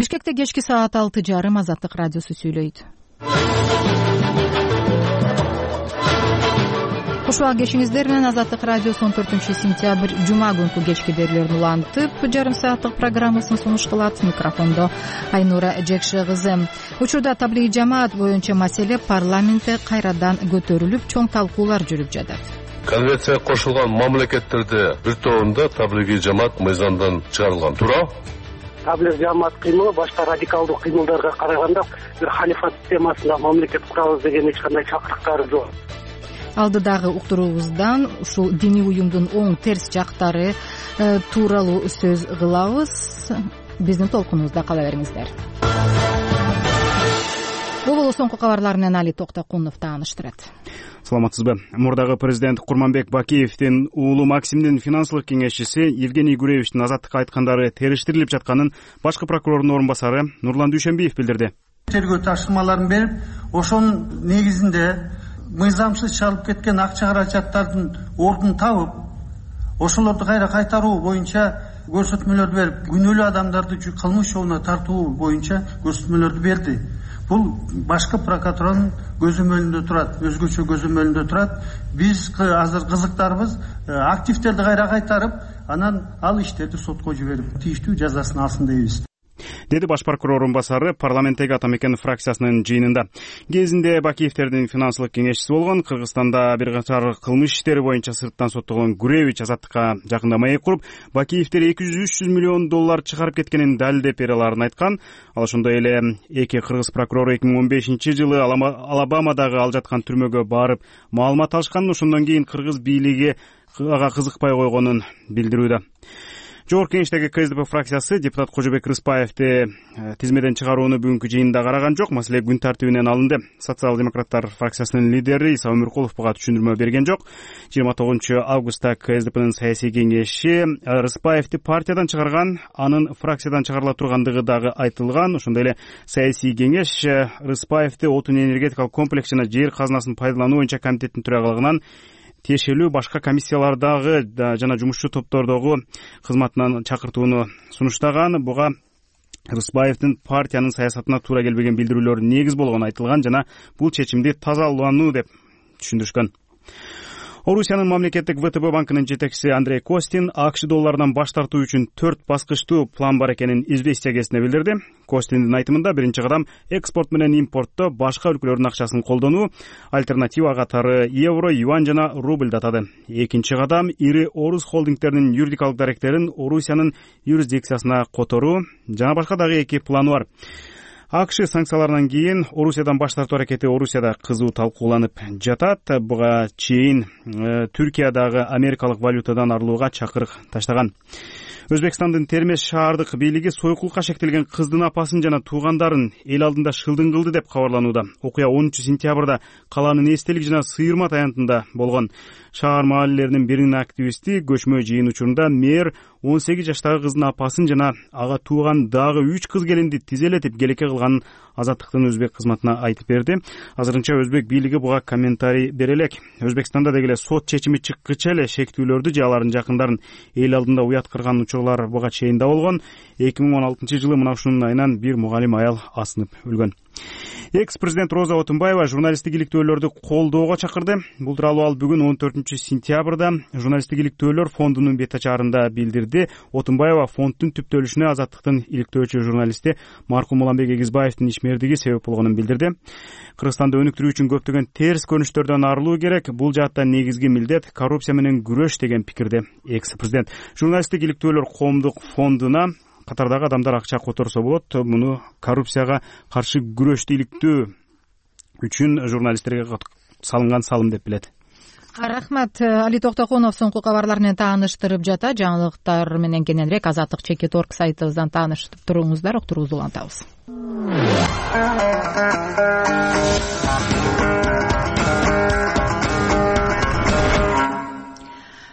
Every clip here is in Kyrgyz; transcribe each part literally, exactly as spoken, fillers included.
Бишкекте кечки саат алты жарым Азаттык радиосу сүйлөйт. Куш убак кешиңиздер менен Азаттык радиосу он төртүнчү сентябрь жума күнкү кечки берүүлөрүн улантып, жарым сааттык программасын сунуш кылат. Микрофондо Айнура Жекше кызы. Учурда таблиги жамаат боюнча маселе парламентте кайрадан көтөрүлүп, чоң талкуулар жүрүп жатат. Конвенцияга кошулган мамлекеттерде бир тобунда таблиги жамаат мыйзамдан чыгарылган. Туура? Таблиги жамаат кыймылы башка радикалдуу кыймылдарга караганда бир халифат системасында мамлекет курабыз деген эч кандай чакырыктары жок. Алдыдагы уктуруубуздан ушул диний уюмдун оң терс жактары э, тууралуу сөз кылабыз. Биздин толкунубузда кала бериңиздер. Бул соңку кабарлар менен Али Токтокунов тааныштырат. Саламатсызбы? Мурдагы президент Курманбек Бакиевдин уулу Максимдин финансылык кеңешчиси Евгений Гуревичтин азаттыкка айткандары териштирилип жатканын башкы прокурордун орун басары Нурлан Дүйшөнбиев билдирди. Тергөө тапшырмаларын берип, ошонун негизинде мыйзамсыз чалып кеткен акча каражаттардын ордун табып, ошолорду кайра кайтаруу боюнча көрсөтмөлөрдү берип, күнөөлүү адамдарды кылмыш жолуна тартуу боюнча көрсөтмөлөрдү берди. Бул башкы прокуратуранын көзөмөлүндө турат, өзгөчө көзөмөлүндө турат. Биз азыр кызыктарбыз, активдерди кайра кайтарып, анан ал иштерди сотко жиберип, тийиштүү жазасын алсын дейбиз, деди баш прокурор орун басары парламенттеги Ата Мекен фракциясынын жыйынында. Кезинде Бакиевдердин финансылык кеңешчиси болгон, Кыргызстанда бир катар кылмыш иштери боюнча сырттан соттолгон Гуревич азаттыкка жакында маек куруп, Бакиевдер эки жүз үч жүз миллион доллар чыгарып кеткенин далилдеп бере аларын айткан. Ал ошондой эле эки кыргыз прокурору эки миң он бешинчи жылы Алабамадагы ал жаткан түрмөгө барып маалымат алышканын, ошондон кийин кыргыз бийлиги ага кызыкпай койгонун билдирүүдө. Жогорку кеңештеги КСДП фракциясы депутат Кожобек Рыспаевди тизмеден чыгарууну бүгүнкү жыйында караган жок. Маселе күн тартибинен алынды. Социал-демократтар фракциясынын лидери Иса Өмүркулов буга түшүндүрмө берген жок. жыйырма тогузунчу августта КСДПнын саясий кеңеши Рыспаевди партиядан чыгарган, анын фракциядан чыгарыла тургандыгы дагы айтылган. Ошондой эле саясий кеңеш Рыспаевди отун энергетикалык комплекс жана жер казынасын пайдалануу боюнча комитеттин төрагалыгынан тиешелүү башка комиссиялардагы жана жумушчу топтордогу кызматынан чакыртууну сунуштаган. Буга Рыспаевдин партиянын саясатына туура келбеген билдирүүлөр негиз болгону айтылган жана бул чечимди тазалануу деп түшүндүрүшкөн. Орусиянын мамлекеттик ВТБ банкынын жетекчиси Андрей Костин АКШ долларынан баш тартуу үчүн төрт баскычтуу план бар экенин известия кезинде билдирди. Костиндин айтымында биринчи кадам экспорт менен импортто башка өлкөлөрдүн акчасын колдонуу, альтернатива катары евро, юань жана рубль атады. Экинчи кадам ири орус холдингдеринин юридикалык даректерин Орусиянын юрисдикциясына которуу жана башка дагы эки планы бар. АКШ санкцияларынан кийин Орусиядан баш тартуу аракети Орусияда кызуу талкууланып жатат. Буга чейин э, Түркиядагы америкалык валютадан арылууга чакырык таштаган. Өзбекстандын Термеш шаардык бийлиги сойкулукка шектелген кыздын апасын жана туугандарын эл алдында шылдың кылды деп кабарланууда. Окуя онунчу сентябрда калаанын эстелик жана Сыйырмат аянтында болгон. Шаар маалилеринин биринин активисти көчмө жыйын учурунда мэр он сегиз жаштагы кыздын апасын жана ага тууган дагы үч кыз келинди тизелетип келеке кылганын Азаттыктын өзбек кызматына айтып берди. Азырынча өзбек бийлиги буга комментарий бере элек. Өзбекстанда деги эле сот чечими чыккыча эле шектүүлөрдү же алардын жакындарын эл алдында уят кырган учурлар буга чейин да болгон. эки миң он алтынчы жылы мына ушунун айынан бир мугалим аял асынып өлгөн. Экс-президент Роза Отунбаева журналисттик иликтөөлөрдү колдоого чакырды. Бул тууралуу ал бүгүн он төртүнчү сентябрда журналисттик иликтөөлөр фондунун бет ачарында билдирди. Отунбаева фонддун түптөлүшүнө Азаттыктын иликтөөчү журналисти маркум Уланбек Эгизбаевдин ишмердиги себеп болгонун билдирди. Кыргызстанды өнүктүрүү үчүн көптөгөн терс көрүнүштөрдөн арылуу керек. Бул жаатта негизги милдет коррупция менен күрөш деген пикирде экс-президент. Журналисттик иликтөөлөр коомдук фондуна катардагы адамдар акча которсо болот. Муну коррупцияга каршы күрөштү иликтөө үчүн журналисттерге салынган салым деп билет. Рахмат. Али Токтокунов соңку кабарлар менен тааныштырып жата. Жаңылыктар менен кененирээк Азаттык чекит точка орг сайтыбыздан таанышып туруңуздар. Уктуруубузду улантабыз.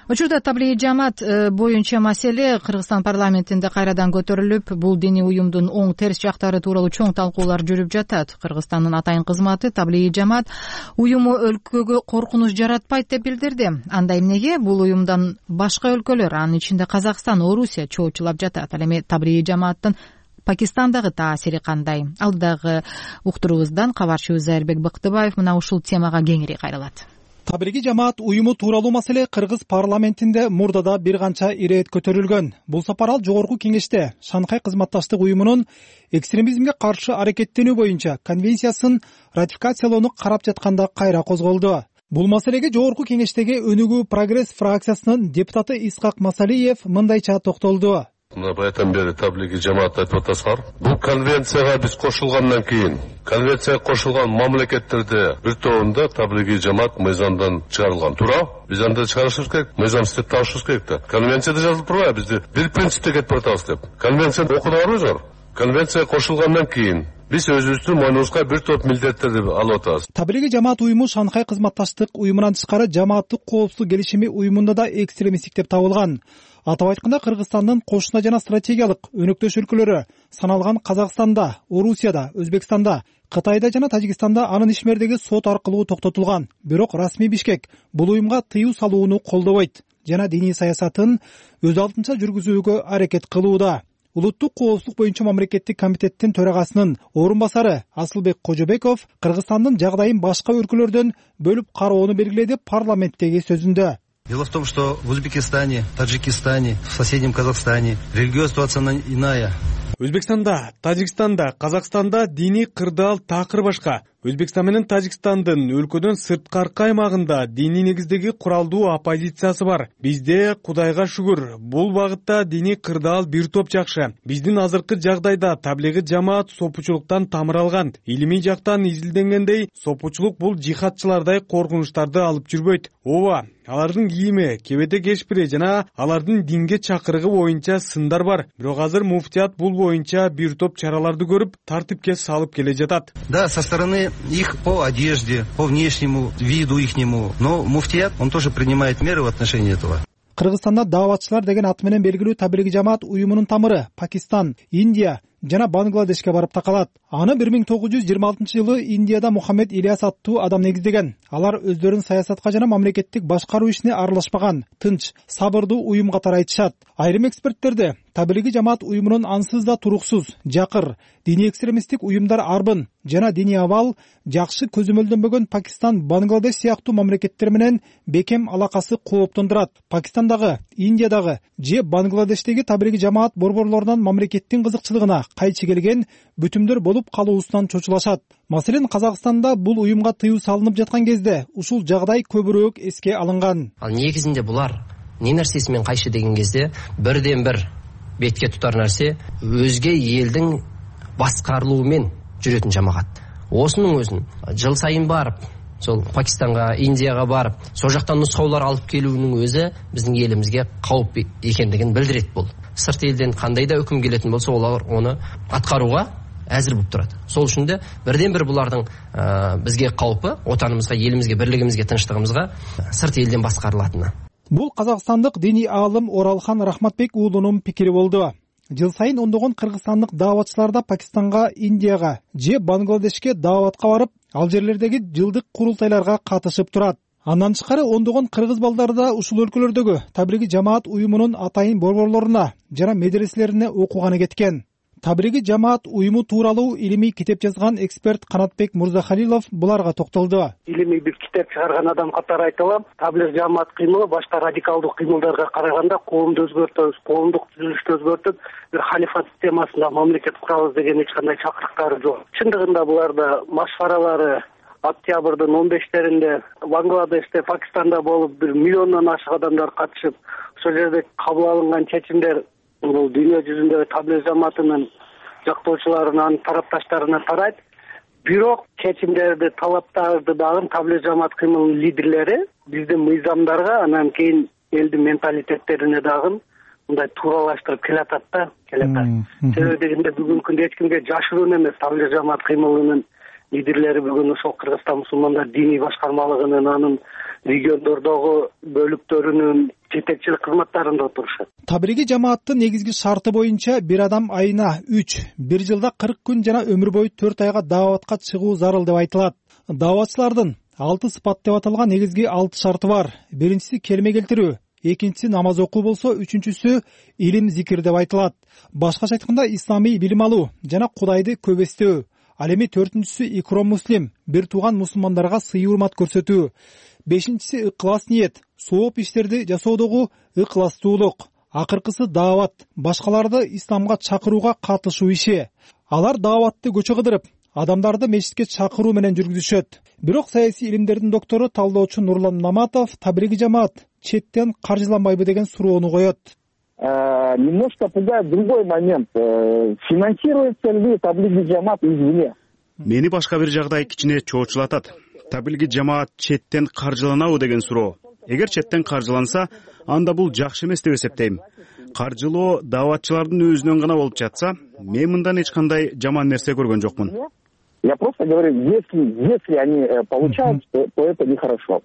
Учурда таблиги жамаат боюнча маселе Кыргызстан парламентинде кайрадан көтөрүлүп, бул диний уюмдун оң терс жактары тууралуу чоң талкуулар жүрүп жатат. Кыргызстандын атайын кызматы таблиги жамаат уюму өлкөгө коркунуч жаратпайт деп билдирди. Анда эмнеге бул уюмдан башка өлкөлөр, анын ичинде Казакстан, Орусия чоочулап жатат. Ал эми таблиги жамааттын Пакистандагы таасири кандай? Алдыдагы уктуруубуздан кабарчыбыз Айырбек Бактыбаев мына ушул темага кеңири кайрылат. Таблиги жамаат уюму тууралуу маселе Кыргыз парламентинде мурдада бир канча ирет көтөрүлгөн. Бул сапар ал жогорку кеңеште Шанхай кызматташтык уюмунун экстремизмге каршы аракеттенүү боюнча конвенциясын ратификациялоону карап жатканда кайра козголду. Бул маселеге жогорку кеңештеги өнүгүү прогресс фракциясынын депутаты Исхак Масалиев мындайча токтолду. Мына баятан бери таблиги жамаат айтып атасыздар. Бул конвенцияга биз кошулгандан кийин, конвенцияга кошулган мамлекеттерде бир тобунда таблиги жамаат мыйзамдан чыгарылган. Туура? Биз анда чыгарышыбыз керек, мыйзам иштеп табышыбыз керек да. Конвенцияда жазылып турбайбы бизди бир принципте кетип атабыз деп. Конвенцияны окудуңарбы? Конвенцияга кошулгандан кийин биз өзүбүздүн мойнубузга бир топ милдеттерди алып атабыз. Таблиги жамаат уюму Шанхай кызматташтык уюмунан тышкары жамааттык коопсуздук келишими уюмунда да экстремисттик деп табылган. Атап айтканда Кыргызстандын кошуна жана стратегиялык өнөктөш өлкөлөрү саналган Казакстанда, Орусияда, Өзбекстанда, Кытайда жана Тажикстанда анын ишмердиги сот аркылуу токтотулган. Бирок расмий Бишкек бул уюмга тыюу салууну колдобойт жана диний саясатын өз алдынча жүргүзүүгө аракет кылууда. Улуттук коопсуздук боюнча мамлекеттик комитеттин төрагасынын орун басары Асылбек Кожобеков Кыргызстандын жагдайын башка өлкөлөрдөн бөлүп кароону белгиледи парламенттеги сөзүндө. Дело в том, что в Узбекистане, Таджикистане, в соседнем Казахстане религиозная ситуация иная. Өзбекстанда, Тажикстанда, Казакстанда диний кырдаал такыр башка. Өзбекстан менен Тажикстандын өлкөдөн сырткаркы аймагында диний негиздеги куралдуу оппозициясы бар. Бизде Кудайга шүгүр, бул багытта диний кырдаал бир топ жакшы. Биздин азыркы жагдайда таблиги жамаат сопучулуктан тамыр алган. Илимий жактан изилденгендей, сопучулук бул жихадчылардай коркунучтарды алып жүрбөйт. Ооба, алардын кийими, кебете кешпири жана алардын динге чакырыгы боюнча сындар бар. Бирок азыр муфтият бул боюнча бир топ чараларды көрүп, тартипке салып келе жатат. Да, со стороны их по одежде, по внешнему виду ихнему, но муфтият, он тоже принимает меры в отношении этого. Кыргызстанда дааватчылар деген аты менен белгилүү таблиги жамаат уюмунун тамыры Пакистан, Индия жана Бангладешке барып такалат. Аны бир миң тогуз жүз жыйырма алтынчы жылы Индияда Мухаммед Ильяс аттуу адам негиздеген. Алар өздөрүн саясатка жана мамлекеттик башкаруу ишине аралашпаган, тынч, сабырдуу уюм катары айтышат. Айрым эксперттерде таблиги жамаат уюмунун ансыз да туруксуз, жакыр, диний экстремисттик уюмдар арбын жана диний абал жакшы көзөмөлдөнбөгөн Пакистан, Бангладеш сыяктуу мамлекеттер менен бекем алакасы кооптондурат. Пакистандагы, Индиядагы же Бангладештеги таблиги жамаат борборлорунан мамлекеттин кызыкчылыгына кайчы келген бүтүмдөр болуп калуусунан чочулашат. Маселен, Казакстанда бул уюмга тыюу салынып жаткан кезде ушул жагдай көбүрөөк эске алынган. Ал негизинде булар не нерсеси менен кайшы деген кезде бирден бир бетке тутар нерсе өзге элдин баскарылуунан жүрөтүн жамаат. Осунун өзүн жыл сайын барып, сол Пакистанга, Индияга барып, сол жактан нускаулар алып келүүнүн өзү биздин элимизге кауп экендигин билдирет бул. Сырт элден кандай да өкүм келетин болсо, олар аны аткарууга азыр болуп турат. Сол үчүн да бирден бир булардын бизге каупы, отаныбызга, элимизге, бирлигибизге, тынчтыгыбызга сырт элден баскарылатыны. Бул казакстандык диний аалым Оралхан Рахматбек уулунун пикири болду. Жыл сайын ондогон кыргызстандык дааватчылар да Пакистанга, Индияга же Бангладешке дааватка барып, ал жерлердеги жылдык курултайларга катышып турат. Андан тышкары ондогон кыргыз балдары да ушул өлкөлөрдөгү таблиги жамаат уюмунун атайын борборлоруна жана медреселерине окуганы кеткен. Таблиги жамаат уюму тууралуу илимий китеп жазган эксперт Канатбек Мурзахалилов буларга токтолду. Илимий бир китеп чыгарган адам катары айта алам, таблиг жамаат кыймылы башка радикалдуу кыймылдарга караганда коомду өзгөртөбүз, коомдук түзүлүштү өзгөртүп, бир халифат системасында мамлекет курабыз деген эч кандай чакырыктары жок. Чындыгында буларда машваралары октябрдын он бештеринде Бангладеште, Пакистанда болуп, бир миллиондон ашык адамдар катышып, ошол жерде кабыл алынган чечимдер бул дүйнө жүзүндөгү таблиг жамаатынын жактоочуларынан, тарапташтарына тарайт. Бирок чечимдерди, талаптарды дагы таблиг жамаат кыймылынын лидерлери биздин мыйзамдарга, анан кийин элдин менталитеттерине дагы мындай тууралаштырып келатат да, келатат. Себеби дегенде бүгүнкү күндө эч кимге жашыруун эмес, таблиг жамаат кыймылынын лидерлери бүгүн ошол Кыргызстан мусулмандар диний башкармалыгынын, анын региондордогу бөлүктөрүнүн жетекчилик кызматтарында отурушат. Таблиги жамааттын негизги шарты боюнча бир адам айына үч, бир жылда кырк күн жана өмүр бою төрт айга дааватка чыгуу зарыл деп айтылат. Дааватчылардын алты сыпат деп аталган негизги алты шарты бар. Биринчиси келме келтирүү, экинчиси намаз окуу болсо, үчүнчүсү илим зикир деп айтылат. Башкача айтканда исламий билим алуу жана Кудайды көп эстөө. Ал эми төртүнчүсү икром муслим, бир тууган мусулмандарга сый урмат көрсөтүү. Бешинчиси ыклас ниет, сооп иштерди жасоодогу ыкластуулук. Акыркысы даават, башкаларды исламга чакырууга катышуу иши. Алар дааватты көчө кыдырып, адамдарды мечитке чакыруу менен жүргүзүшөт. Бирок саясий илимдердин доктору, талдоочу Нурлан Наматов таблиги жамаат четтен каржыланбайбы деген суроону коет. Немножко пугает другой момент. Финансируется ли таблиги жамаат извне? Мени башка бир жагдай кичине чоочулатат. Таблиги жамаат четтен каржыланабы деген суроо. Эгер четтен каржыланса, анда бул жакшы эмес деп эсептейм. Каржылоо дааватчылардын өзүнөн гана болуп жатса, мен мындан эч кандай жаман нерсе көргөн жокмун. Я просто говорю, если если они получают, то это нехорошо.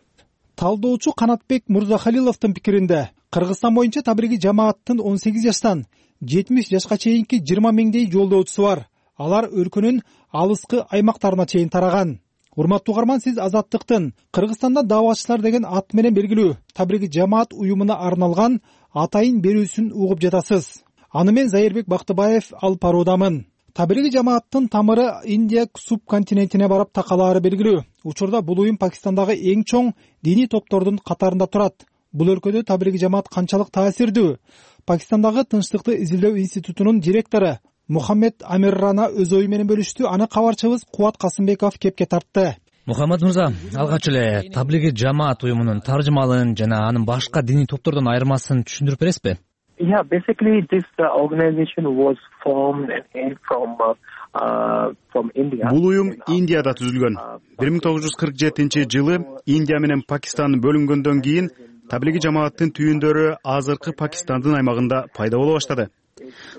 Талдоочу Канатбек Мурзахалиловдун пикиринде, Кыргызстан боюнча таблиги жамааттын он сегиз жаштан жетимиш жашка чейинки жыйырма миңдей жолдоочусу бар. Алар өлкөнүн алыскы аймактарына чейин тараган. Урматтуу угарман, сиз Азаттыктын Кыргызстанда дааватчылар деген ат менен белгилүү таблиги жамаат уюмуна арналган атайын берүүсүн угуп жатасыз. Аны мен Зайырбек Бактыбаев алып баруудамын. Таблиги жамааттын тамыры Индия субконтинентине барып такалаары белгилүү. Учурда бул уюм Пакистандагы эң чоң диний топтордун катарында турат. Бул өлкөдө таблиги жамаат канчалык таасирдүү? Пакистандагы Тынчтыкты изилдөө институтунун директору Мухаммед Амир Рана өз ою менен бөлүштү. Аны кабарчыбыз Кубат Касымбеков кепке тартты. Мухаммад мырза, алгач эле таблиги жамаат уюмунун таржымалын жана анын башка диний топтордон айырмасын түшүндүрүп бересизби? Yeah, basically this uh, organization was formed and from uh, uh, from India. Бул уюм Индияда түзүлгөн. бир миң тогуз жүз кырк жетинчи жылы Индия менен Пакистан бөлүнгөндөн кийин таблиги жамааттын түйүндөрү азыркы Пакистандын аймагында пайда боло баштады.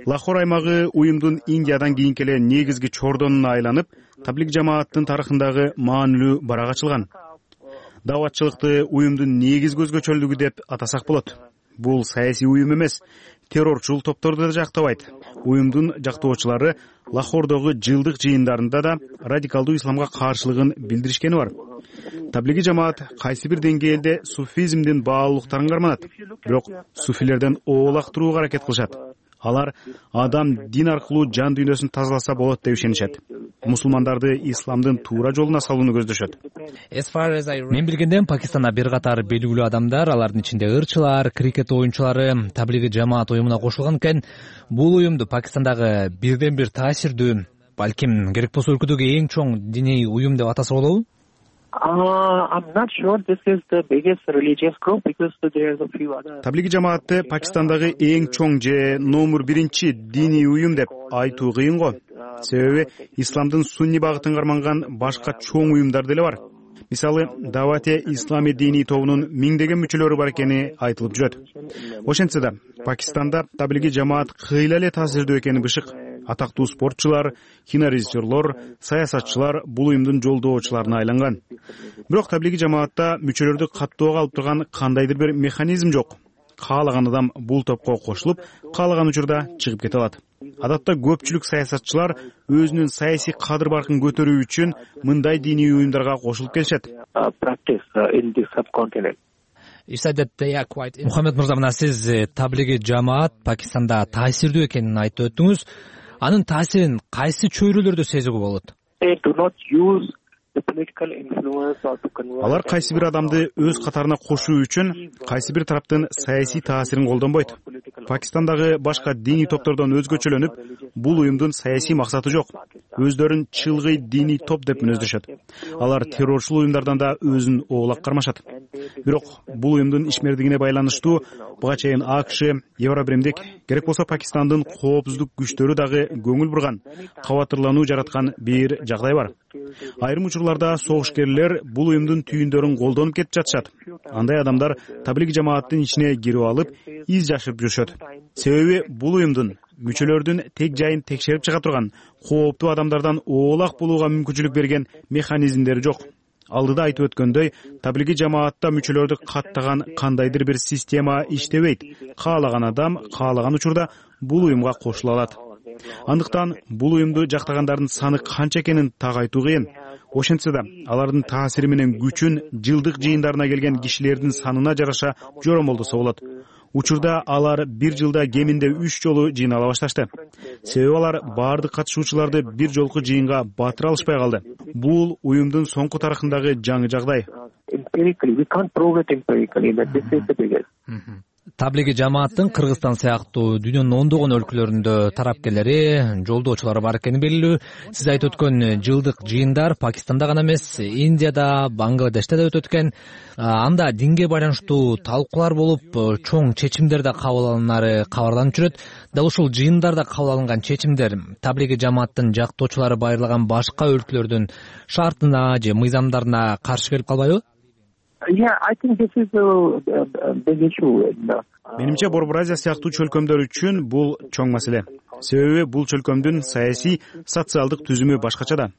Лахор аймагы уюмдун Индиядан кийинки эле негизги чордонуна айланып, таблиг жамааттын тарыхындагы маанилүү барак ачылган. Дааватчылыкты уюмдун негизги өзгөчөлүгү деп атасак болот. Бул саясий уюм эмес, террорчул топторду да жактабайт. Уюмдун жактоочулары Лахордогу жылдык жыйындарында да радикалдуу исламга каршылыгын билдиришкени бар. Таблиги жамаат кайсы бир деңгээлде суфизмдин баалуулуктарын карманат, бирок суфилерден оолак турууга аракет кылышат. Алар адам дин аркылуу жан дүйнөсүн тазаласа болот деп ишенишет. Мусулмандарды исламдын туура жолуна салууну көздөшөт. Мен билгенден Пакистанда бир катар белгилүү адамдар, алардын ичинде ырчылар, крикет оюнчулары таблиги жамаат уюмуна кошулган экен. Бул уюмду Пакистандагы бирден бир таасирдүү, балким керек болсо өлкөдөгү эң чоң диний уюм деп атаса болобу? Uh, I'm not sure this is the biggest religious group because there's a few other. Таблиги жамаатты Пакистандагы эң чоң же номер биринчи диний уюм деп айтуу кыйын го. Себеби исламдын сунни багытын карманган башка чоң уюмдар деле бар. Мисалы, Давате ислами диний тобунун миңдеген мүчөлөрү бар экени айтылып жүрөт. Ошентсе да, Пакистанда таблиги жамаат кыйла эле таасирдүү экени бышык. Атактуу спортчулар, кинорежиссерлор, саясатчылар бул уюмдун жолдоочуларына айланган. Бирок таблиги жамаатта мүчөлөрдү каттоого алып турган кандайдыр бир механизм жок. Каалаган адам бул топко кошулуп, каалаган учурда чыгып кете алат. Адатта көпчүлүк саясатчылар өзүнүн саясий кадыр баркын көтөрүү үчүн мындай диний уюмдарга кошулуп келишет. Мухаммед мырза, мына сиз таблиги жамаат Пакистанда таасирдүү экенин айтып өттүңүз. Анын таасирин кайсы чөйрөлөрдө сезүүгө болот? Алар кайсы бир адамды өз катарына кошуу үчүн кайсы бир тараптын саясий таасирин колдонбойт. Пакистандагы башка диний топтордон өзгөчөлөнүп, бул уюмдун саясий максаты жок. Өздөрүн чылгый диний топ деп мүнөздөшөт. Алар террорчул уюмдардан да өзүн оолак кармашат. Бирок бул уюмдун ишмердигине байланыштуу буга чейин АКШ, Евробиримдик, керек болсо Пакистандын коопсуздук күчтөрү дагы көңүл бурган, кабатырлануу жараткан бир жагдай бар. Айрым учурларда согушкерлер бул уюмдун түйүндөрүн колдонуп кетип жатышат. Андай адамдар таблиги жамааттын ичине кирип алып, из жашып жүрүшөт. Себеби бул уюмдун мүчөлөрдүн тег жайын текшерип чыга турган, кооптуу адамдардан оолак болууга мүмкүнчүлүк берген механизмдери жок. Алдыда айтып өткөндөй, таблиги жамаатта мүчөлөрдү каттаган кандайдыр бир система иштебейт. Каалаган адам каалаган учурда бул уюмга кошула алат. Андыктан бул уюмду жактагандардын саны канча экенин так айтуу кыйын. Ошентсе да алардын таасири менен күчүн жылдык жыйындарына келген кишилердин санына жараша жоромолдосо болот. Учурда алар бир жылда кеминде үч жолу жыйнала башташты. Себеби алар баардык катышуучуларды бир жолку жыйынга батыра алышпай калды. Бул уюмдун соңку тарыхындагы жаңы жагдай. Таблиги жамааттын Кыргызстан сыяктуу дүйнөнүн ондогон өлкөлөрүндө тарапкерлери, жолдоочулары бар экени белгилүү. Сиз айтып өткөн жылдык жыйындар Пакистанда гана эмес, Индияда, Бангладеште да өтөт экен. Анда динге байланыштуу талкуулар болуп, чоң чечимдер да кабыл алынары кабарланып жүрөт. Дал ушул жыйындарда кабыл алынган чечимдер таблиги жамааттын жактоочулары байырлаган башка өлкөлөрдүн шартына же мыйзамдарына каршы келип калбайбы? Yeah, I think this is a big issue. Менимче Борбор Азия сыяктуу чөлкөмдөр үчүн бул чоң маселе. Себеби бул чөлкөмдүн саясий, социалдык түзүмү башкача да.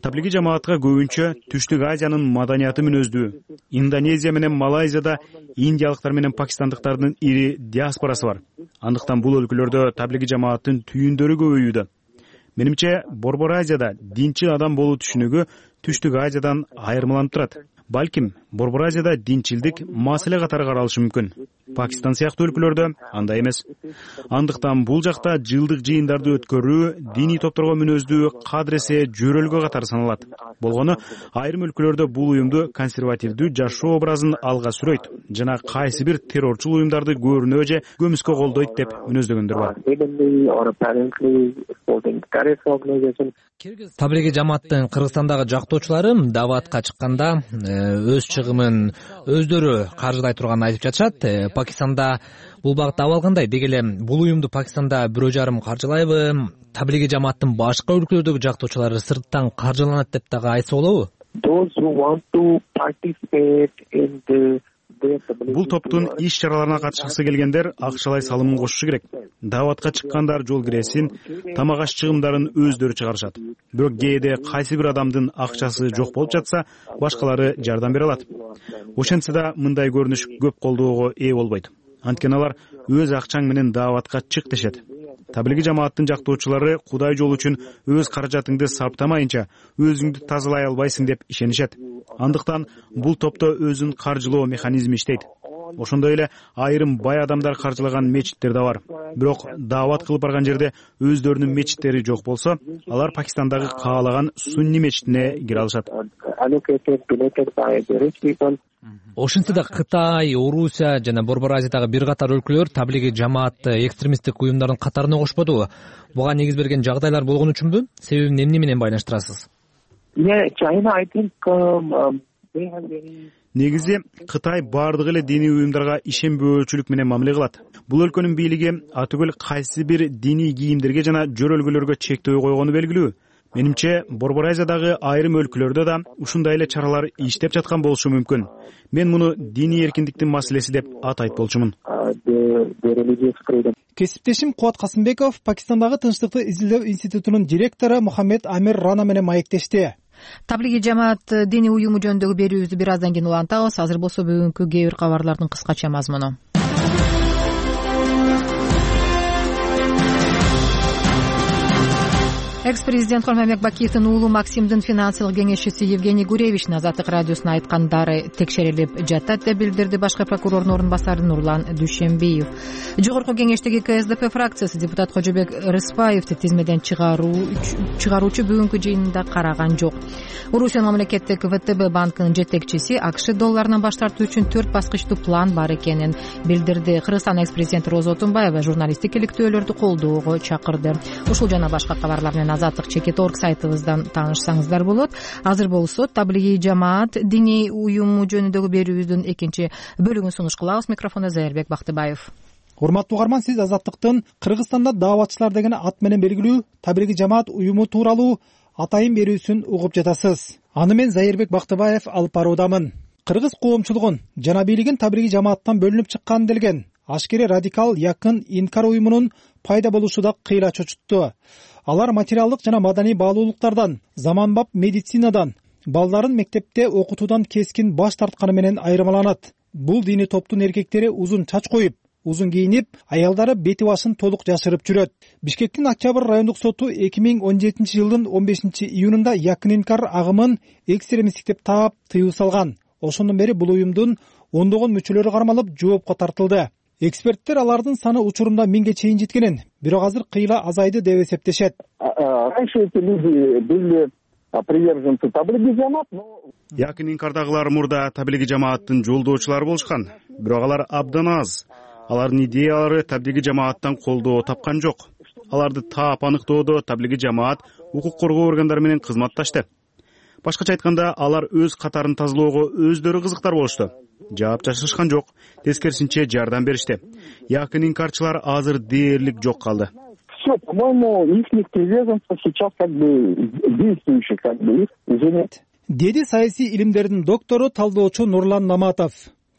Таблиги жамаатка көбүнчө Түштүк Азиянын маданияты мүнөздүү. Индонезия менен Малайзияда индиялыктар менен пакистандыктардын ири диаспорасы бар. Андыктан бул өлкөлөрдө таблиги жамааттын түйүндөрү көбөйүүдө. Менимче Борбор Азияда динчи адам болуу түшүнүгү Түштүк Азиядан айырмаланып турат. Балким Борбор Азияда динчилдик маселе катары каралышы мүмкүн. Пакистан сыяктуу өлкөлөрдө андай эмес. Андыктан бул жакта жылдык жыйындарды өткөрүү диний топторго мүнөздүү кадыресе жөрөлгө катары саналат. Болгону айрым өлкөлөрдө бул уюмду консервативдүү жашоо образын алга сүрөйт жана кайсы бир террорчул уюмдарды көрүнө же көмүскө колдойт деп мүнөздөгөндөр бар. Таблиги жамааттын Кыргызстандагы жактоочулары даватка чыкканда өз чыгымын өздөрү каржылай турганын айтып жатышат. Пакистанда бул багытта абал кандай? Деги эле бул уюмду Пакистанда бирөө жарым каржылайбы? Таблиги жамааттын башка өлкөлөрдөгү жактоочулары сырттан каржыланат деп дагы айтса болобу? Бул топтун иш чараларына катышкысы келгендер акчалай салымын кошушу керек. Даватка чыккандар жол киресин, тамак аш чыгымдарын өздөрү чыгарышат. Бирок кээде кайсы бир адамдын акчасы жок болуп жатса, башкалары жардам бере алат. Ошентсе да мындай көрүнүш көп колдоого ээ болбойт. Анткени алар өз акчаң менен даватка чык дешет. Таблиги жамааттын жактоочулары Кудай жол үчүн өз каражатыңды сарптамайынча өзүңдү тазалай албайсың деп ишенишет. Андыктан бул топто өзүн каржылоо механизми иштейт. Ошондой эле айрым бай адамдар каржылаган мечиттер да бар. Бирок даават кылып барган жерде өздөрүнүн мечиттери жок болсо, алар Пакистандагы каалаган сунни мечитине кире алышат. Ошентсе да Кытай, Орусия жана Борбор Азиядагы бир катар өлкөлөр таблиги жамаатты экстремисттик уюмдардын катарына кошподубу? Буга негиз берген жагдайлар болгон үчүнбү? Себебин эмне менен байланыштырасыз? Негизи Кытай бардык эле диний уюмдарга ишенбөөчүлүк менен мамиле кылат. Бул өлкөнүн бийлиги атүгүл кайсы бир диний кийимдерге жана жөрөлгөлөргө чектөө койгону белгилүү. Менимче Борбор Азиядагы айрым өлкөлөрдө да ушундай эле чаралар иштеп жаткан болушу мүмкүн. Мен муну диний эркиндиктин маселеси деп атайт болчумун. Кесиптешим Кубат Касымбеков Пакистандагы тынчтыкты изилдөө институтунун директору Мухаммед Амир Рана менен маектешти. Таблиги жамаат диний уюму жөнүндөгү берүүбүздү бир аздан кийин улантабыз. Азыр болсо бүгүнкү кээ бир кабарлардын кыскача мазмуну. Экс-президент Холмамбек Бакиевдин уулу Максимдин финансылык кеңешчиси Евгений Гуревичтин Азаттык радиосуна айткандары текшерилип жатат деп билдирди башкы прокурордун орун басары Нурлан Дүйшөнбиев. Жогорку кеңештеги КСДП фракциясы депутат Кожобек Рыспаевди тизмеден чыгаруучу бүгүнкү жыйынында караган жок. Орусия мамлекеттик ВТБ банкынын жетекчиси АКШ долларынан баш тартуу үчүн төрт баскычтуу план бар экенин билдирди. Кыргызстан экс-президенти Роза Отунбаева журналисттик иликтөөлөрдү колдоого чакырды. Ушул жана башка кабарлар менен Азаттык чекит орг сайтыбыздан таанышсаңыздар болот. Азыр болсо таблиги жамаат диний уюму жөнүндөгү берүүбүздүн экинчи бөлүгүн сунуш кылабыз. Микрофондо Зайырбек Бактыбаев. Урматтуу угарман, сиз Азаттыктын Кыргызстанда дааватчылар деген ат менен белгилүү таблиги жамаат уюму тууралуу атайын берүүсүн угуп жатасыз. Аны мен Зайырбек Бактыбаев алып баруудамын. Кыргыз коомчулугун жана бийлигин таблиги жамааттан бөлүнүп чыккан делген ашкере радикал якын инкар уюмунун пайда болушу да кыйла чочутту. Алар материалдык жана маданий баалуулуктардан, заманбап медицинадан, балдарын мектепте окутуудан кескин баш тартканы менен айырмаланат. Бул диний топтун эркектери узун чач коюп, узун кийинип, аялдары бети башын толук жашырып жүрөт. Бишкектин Октябрь райондук соту эки миң он жетинчи жылдын он бешинчи июнунда Якынинкар агымын экстремисттик деп таап тыюу салган. Ошондон бери бул уюмдун ондогон мүчөлөрү кармалып, жоопко тартылды. Эксперттер алардын саны учурунда миңге чейин жеткенин, бирок азыр кыйла азайды деп эсептешет. Раньше эти люди были приверженцы таблиги жамаат, но Якынинкардагылар мурда таблиги жамааттын жолдоочулары болушкан, бирок алар абдан аз. Алардын идеялары таблиги жамааттан колдоо тапкан жок. Аларды таап аныктоодо таблиги жамаат укук коргоо органдары менен кызматташты. Башкача айтканда, алар өз катарын тазалоого өздөрү кызыктар болушту. Жаап жашырышкан жок, тескерисинче жардам беришти. Якынинкарчылар азыр дээрлик жок калды. Все, по-моему, их приверженцы сейчас как бы действующие, как бы их уже. Деди саясий илимдердин доктору, талдоочу Нурлан Наматов.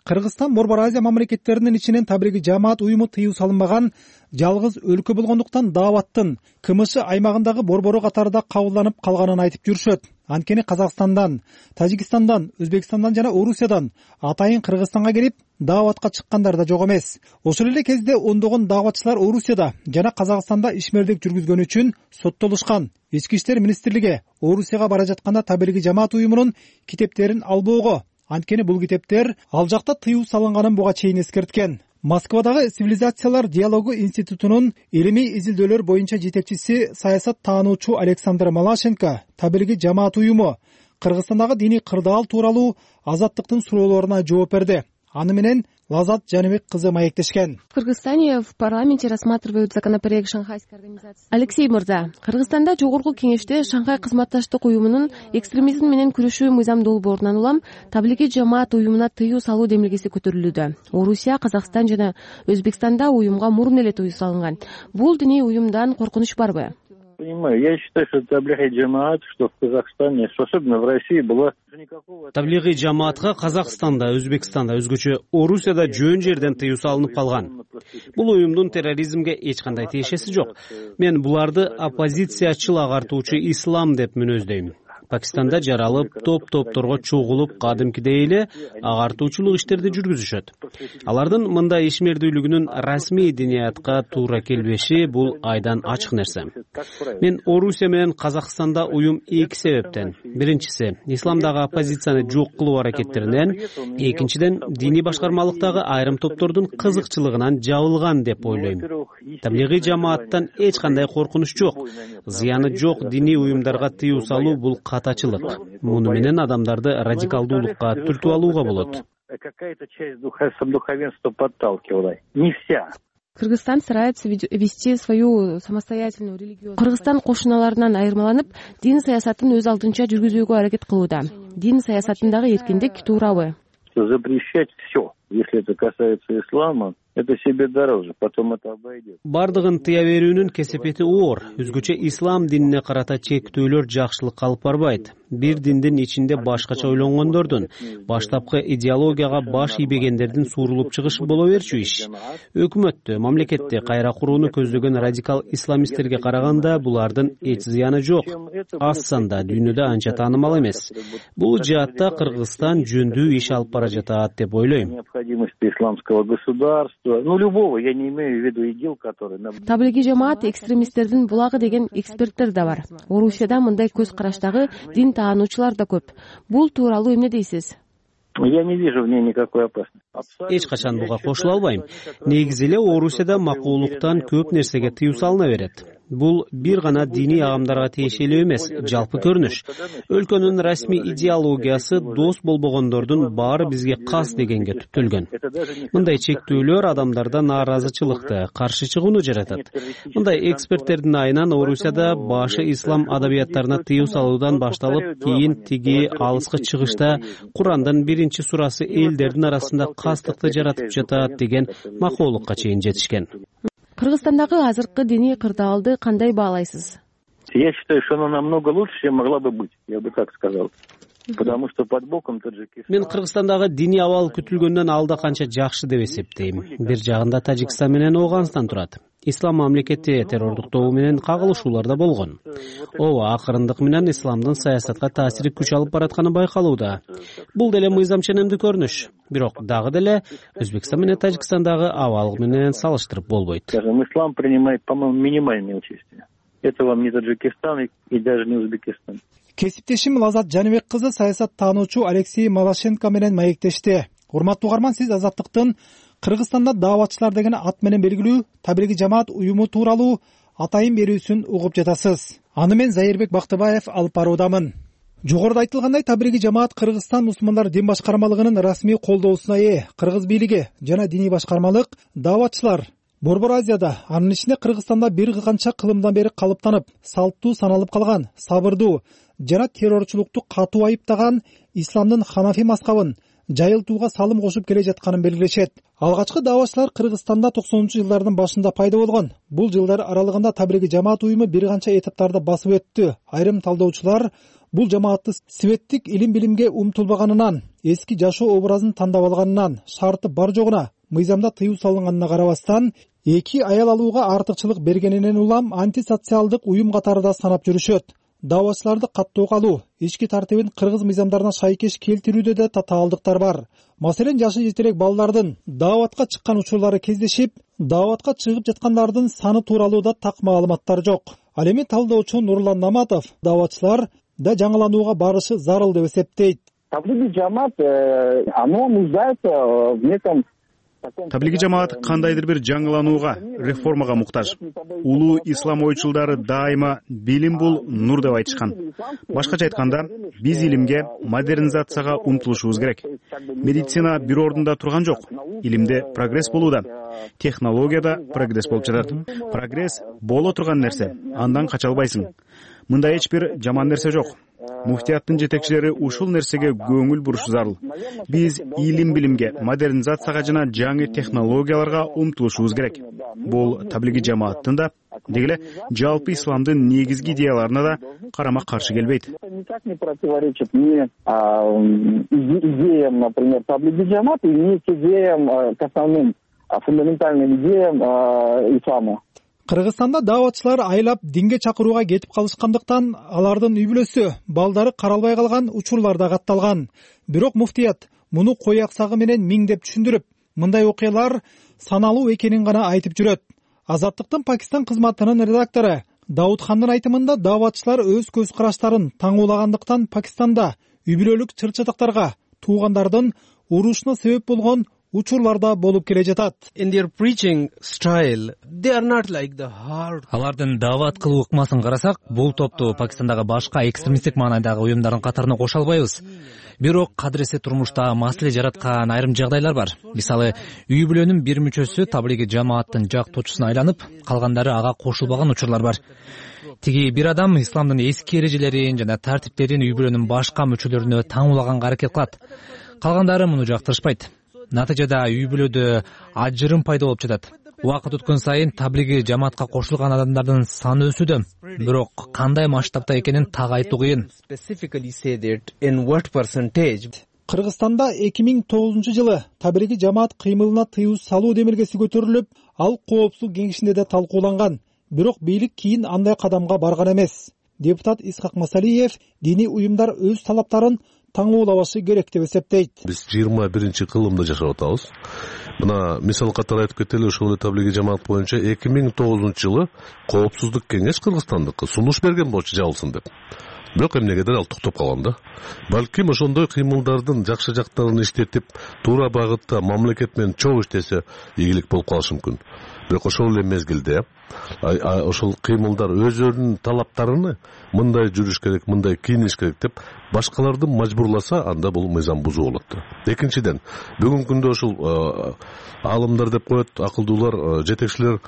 Кыргызстан Борбор Азия мамлекеттеринин ичинен таблиги жамаат уюму тыюу салынбаган жалгыз өлкө болгондуктан дааваттын КМШ аймагындагы борбору катарында кабылданып калганын айтып жүрүшөт. Анткени Казакстандан, Тажикстандан, Өзбекстандан жана Орусиядан атайын Кыргызстанга келип дааватка чыккандар да жок эмес. Ошол эле кезде ондогон дааватчылар Орусияда жана Казакстанда ишмердик жүргүзгөн үчүн соттолушкан. Ички иштер министрлиги Орусияга бара жатканда таблиги жамаат уюмунун китептерин албоого, анткени бул китептер ал жакта тыюу салынганын буга чейин эскерткен. Москвадагы Цивилизациялар диалогу институтунун илимий изилдөөлөр боюнча жетекчиси саясат таануучу Александр Малашенко таблиги жамаат уюму Кыргызстандагы диний кырдаал тууралуу азаттыктын суроолоруна жооп берди. Аны менен Лазат Жаныбек кызы маектешкен. В Кыргызстане в парламенте рассматривают законопроект Шанхайской организации. Алексей Мырза, Кыргызстанда жогорку кеңеште Шанхай кызматташтык уюмунун экстремизм менен күрөшүү мыйзам долбоорунан улам таблиги жамаат уюмуна тыюу салуу демилгеси көтөрүлүүдө. Орусия, Казакстан жана Өзбекстанда уюмга мурун эле тыюу салынган. Бул диний уюмдан коркунуч барбы? Понимаю, я считаю, что таблиги джамаат, что в Казахстане, что особенно в России была... Таблиги жамаатка Казакстанда, Өзбекстанда, өзгөчө Орусияда жөн жерден тыюу салынып калган. Бул уюмдун терроризмге эч кандай тиешеси жок. Мен буларды оппозициячыл агартуучу ислам деп мүнөздөйм. Пакистанда жаралып, топ-топторго чогулуп, кадимкидей эле агартуучулук иштерди жүргүзүшөт. Алардын мындай ишмердүүлүгүнүн расмий диниятка туура келбеши бул айдан ачык нерсе. Мен Орусия менен Казакстанда уюм эки себептен. Биринчиси, исламдагы оппозицияны жок кылуу аракеттеринен, экинчиден, диний башкармалыктагы айрым топтордун кызыкчылыгынан жабылган деп ойлойм. Таблиги жамааттан эч кандай коркунуч жок. Зыяны жок диний уюмдарга тыюу салуу бул катачылык. Муну менен адамдарды радикалдуулукка түртүп алууга болот. Какая-то часть духовенства подталкивала. Не вся. Кыргызстан старается вести свою самостоятельную религию. Кыргызстан кошуналарынан айырмаланып, дин саясатын өз алдынча жүргүзүүгө аракет кылууда. Дин саясатындагы эркиндик туурабы? Запрещать все. Если это касается ислама, это себе дороже, потом это обойдет. Бардыгын тыя берүүнүн кесепети оор. Өзгөчө ислам динине карата чектөөлөр жакшылыкка алып барбайт. Бир диндин ичинде башкача ойлонгондордун, баштапкы идеологияга баш ийбегендердин суурулуп чыгышы боло берчү иш. Өкмөттү, мамлекетти кайра курууну көздөгөн радикал исламисттерге караганда булардын эч зыяны жок. Аз санда дүйнөдө анча таанымал эмес. Бул жаатта Кыргызстан жөндүү иш алып бара жатат деп ойлойм. Необходимости исламского государства, ну любого, я не имею в виду идил, который... Таблиги жамаат экстремисттердин булагы деген эксперттер да бар. Орусияда мындай көз караштагы дин таануучулар да көп. Бул тууралуу эмне дейсиз? Я не вижу в ней никакой опасности. Эч качан буга кошула албайм. Негизи эле Орусияда макулуктан көп нерсеге тыюу салына берет. Бул бир гана диний агымдарга тиешелүү эмес, жалпы көрүнүш. Өлкөнүн расмий идеологиясы дос болбогондордун баары бизге кас дегенге түптөлгөн. Мындай чектөөлөр адамдарда нааразычылыкты, каршы чыгууну жаратат. Мындай эксперттердин айынан Орусияда башы ислам адабияттарына тыюу салуудан башталып, кийин тиги алыскы чыгышта Курандын биринчи сурасы элдердин арасында кастыкты жаратып жатат деген макулукка чейин жетишкен. Кыргызстандагы азыркы диний кырдаалды кандай баалайсыз? Я считаю, что она намного лучше, чем могла бы быть, я бы так сказал. Потому что под боком Таджикистан. Мен Кыргызстандагы диний абал күтүлгөндөн алда канча жакшы деп эсептейм. Бир жагында Тажикстан менен Ооганстан турат. Ислам мамлекети террордуктоо менен кагылышуулар да болгон. Ооба, акырындык менен исламдын саясатка таасири күч алып баратканы байкалууда. Бул деле мыйзам ченемдүү көрүнүш. бирок дагы деле Өзбекстан менен Тажикстандагы абал менен салыштырып болбойт. Ислам принимает, по-моему, минимальное участие. Это вам не Таджикистан и даже не Узбекистан. Кесиптешим Лазат Жаныбек кызы саясаттануучу Алексей Малашенко менен маектешти. Урматтуу угарман, сиз Азаттыктын Кыргызстанда дааватчылар деген ат менен белгилүү Табилигий жамаат уюму тууралуу атайын берүүсүн угуп жатасыз. Аны мен Зайырбек Бактыбаев алып баруудамын. Жогоруда айтылгандай, Табилигий жамаат Кыргызстан мусулмандар дин башкармалыгынын расмий колдоосуна ээ. Кыргыз бийлиги жана диний башкармалык дааватчылар Борбор Азияда, анын ичинде Кыргызстанда бир канча кылымдан бери калыптанып, салттуу саналып калган, сабырдуу жана террорчулукту катуу айыптаган исламдын ханафи мазхабын жайылтууга салым кошуп келе жатканын белгилешет. Алгачкы дааватчылар Кыргызстанда токсонунчу жылдардын башында пайда болгон. Бул жылдар аралыгында Табилигий жамаат уюму бир канча этаптарды басып өттү. Айрым талдоочулар бул жамаатты светтик илим билимге умтулбаганынан, эски жашоо образын тандап алганынан, шарты бар жогуна мыйзамда тыюу салынганына карабастан, эки аял алууга артыкчылык бергенинен улам антисоциалдык уюм катарында санап жүрүшөт. Дааватчыларды каттоого алуу, ички тартибин кыргыз мыйзамдарына шайкеш келтирүүдө да татаалдыктар бар. Маселен, жашы жетелек балдардын дааватка чыккан учурлары кездешип, дааватка чыгып жаткандардын саны тууралуу да так маалыматтар жок. Ал эми талдоочу Нурлан Наматов дааватчылар да жаңыланууга барышы зарыл деп эсептейт. Табилигий жамаат, оно нуждается в неком Табилигий жамаат кандайдыр бир жаңыланууга, реформага муктаж. Улуу ислам ойчулдары дайыма билим бул нур деп айтышкан. Башкача айтканда, биз илимге, модернизацияга умтулушубуз керек. Медицина бир ордунда турган жок. Илимде прогресс болууда. Технологияда прогресс болуп жатат. Прогресс боло турган нерсе, андан кача албайсың. Мында эч бир жаман нерсе жок. Муфтияттын жетекчилери ушул нерсеге көңүл бурушу зарыл. Биз илим билимге, модернизацияга жана жаңы технологияларга умтулушубуз керек. Бул Табилигий жамааттын да, дегеле жалпы исламдын негизги идеяларына да карама каршы келбейт. Никак не противоречит ни идеям, например, Табилигий жамаата, ни идеям, к основным фундаментальным идеям ислама. Кыргызстанда дааватчылар айлап динге чакырууга кетип калышкандыктан алардын үй бүлөсү, балдары каралбай калган учурлар да катталган. Бирок муфтият муну кой аксагы менен миңдеп түшүндүрүп, мындай окуялар саналуу экенин гана айтып жүрөт. Азаттыктын Пакистан кызматынын редактору Даудхандын айтымында дааватчылар өз көз караштарын таңуулагандыктан Пакистанда үй бүлөлүк чыр-чатактарга туугандардын урушуна себеп болгон учурларда болуп келе жатат. Алардын даават кылуу ыкмасын карасак, бул топту Пакистандагы башка экстремисттик маанайдагы уюмдардын катарына кошо албайбыз. Бирок кадыресе турмушта маселе жараткан айрым жагдайлар бар. Мисалы, үй бүлөнүн бир мүчөсү Табилигий жамааттын жактоочусуна айланып, калгандары ага кошулбаган учурлар бар. Тиги бир адам исламдын эски эрежелерин жана тартиптерин үй бүлөнүн башка мүчөлөрүнө таңуулаганга аракет кылат. Калгандары муну жактырышпайт. Натыйжада үй бүлөдө ажырым пайда болуп жатат. Убакыт өткөн сайын Табилигий жамаатка кошулган адамдардын саны өсүүдө. Бирок кандай масштабта экенин так айтуу кыйын. Кыргызстанда эки миң тогузунчу жылы Табилигий жамаат кыймылына тыюу салуу демилгеси көтөрүлүп, ал коопсуздук кеңешинде да талкууланган. Бирок бийлик кийин андай кадамга барган эмес. Депутат Исхак Масалиев диний уюмдар өз талаптарын таңуулабашы керек деп эсептейт. Биз жыйырма биринчи кылымда жашап атабыз. Мына мисал катары айтып кетели, ошол Табилигий жамаат боюнча эки миң тогузунчу жылы коопсуздук кеңеш Кыргызстандыкы сунуш берген болчу жабылсын деп. Бирок эмнегедир ал токтоп калган да. Балким ошондой кыймылдардын жакшы жактарын иштетип, туура багытта мамлекет менен чогуу иштесе ийгилик болуп калышы мүмкүн. Бирок ошол эле мезгилде ошол кыймылдар өздөрүнүн талаптарыны мындай жүрүш керек, мындай кийиниш керек деп башкаларды мажбурласа, анда бул мыйзам бузуу болот да. Экинчиден, бүгүнкү күндө ошол аалымдар деп коет, акылдуулар, жетекчилер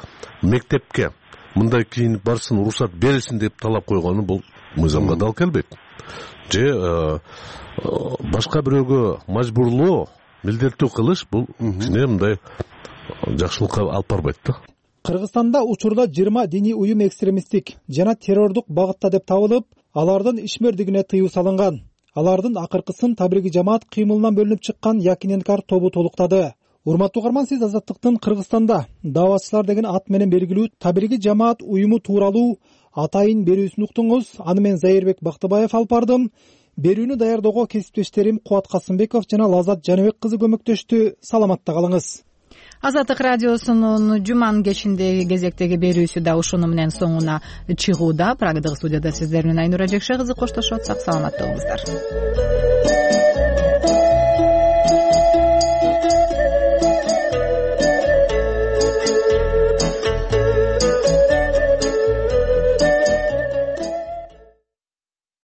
мектепке мындай кийинип барсын, уруксат берилсин деп талап койгону бул мыйзамга дал келбейт. Же башка бирөөгө мажбурлоо, милдеттүү кылыш бул кичине мындай жакшылыкка алып барбайт да. Кыргызстанда учурда жыйырма диний уюм экстремисттик жана террордук багытта деп табылып, алардын ишмердигине тыюу салынган. Алардын акыркысын Табилигий жамаат кыймылынан бөлүнүп чыккан Якиненкар тобу толуктады. Урматтуу угарман, сиз Азаттыктын Кыргызстанда дааватчылар деген ат менен белгилүү Табилигий жамаат уюму тууралуу атайын берүүсүн уктуңуз. Аны мен Зайырбек Бактыбаев алып бардым. берүүнү даярдоого кесиптештерим Кубат Касымбеков жана Лазат Жаныбек кызы көмөктөштү. Саламатта калыңыз. Азаттык радиосунун жуманын кечиндеги кезектеги берүүсү да ушуну менен соңуна чыгууда. Прагдагы студияда сиздер менен Айнура Жекше кызы коштошуп атсак, саламатта болуңуздар.